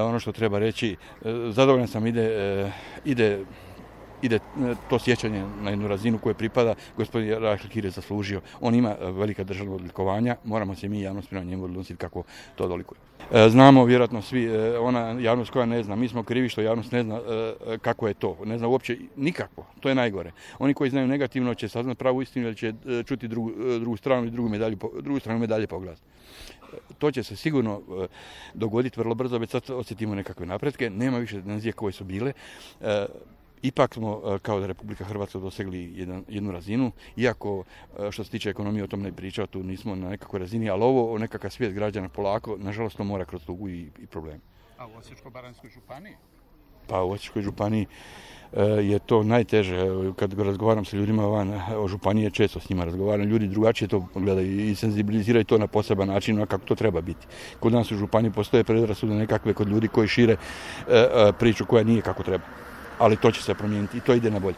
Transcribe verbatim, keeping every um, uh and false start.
Ono što treba reći, zadovoljan sam ide, ide ide to sjećanje na jednu razinu koje pripada. Gospodin Rahel Kir je zaslužio. On ima velika državna odlikovanja, moramo se mi javnost prema njemu odnositi kako to dolikuje. Znamo vjerojatno svi, ona javnost koja ne zna, mi smo krivi što javnost ne zna kako je to, ne zna uopće nikako, to je najgore. Oni koji znaju negativno će saznat pravu istinu ili će čuti drugu, drugu stranu i drugu, medalju, drugu stranu medalje po glasu. To će se sigurno dogoditi vrlo brzo, već sad osjetimo nekakve napretke, nema više tenzije koje su bile. Ipak smo kao da Republika Hrvatska dosegli jedan, jednu razinu, iako što se tiče ekonomije o tom ne pričao, tu nismo na nekakvoj razini, ali ovo nekakav svijet građana polako, nažalost to mora kroz tugu i, i problem. A u Osječko-baranjskoj županiji? Pa u Osječkoj županiji je to najteže. Kad razgovaram sa ljudima van o županije, često s njima razgovaram, ljudi drugačije to gledaju i senzibiliziraju to na poseban način, kako to treba biti. Kod nas u županiji postoje predrasude nekakve kod ljudi koji šire priču koja nije kako treba. Ali to će se promijeniti i to ide na bolje.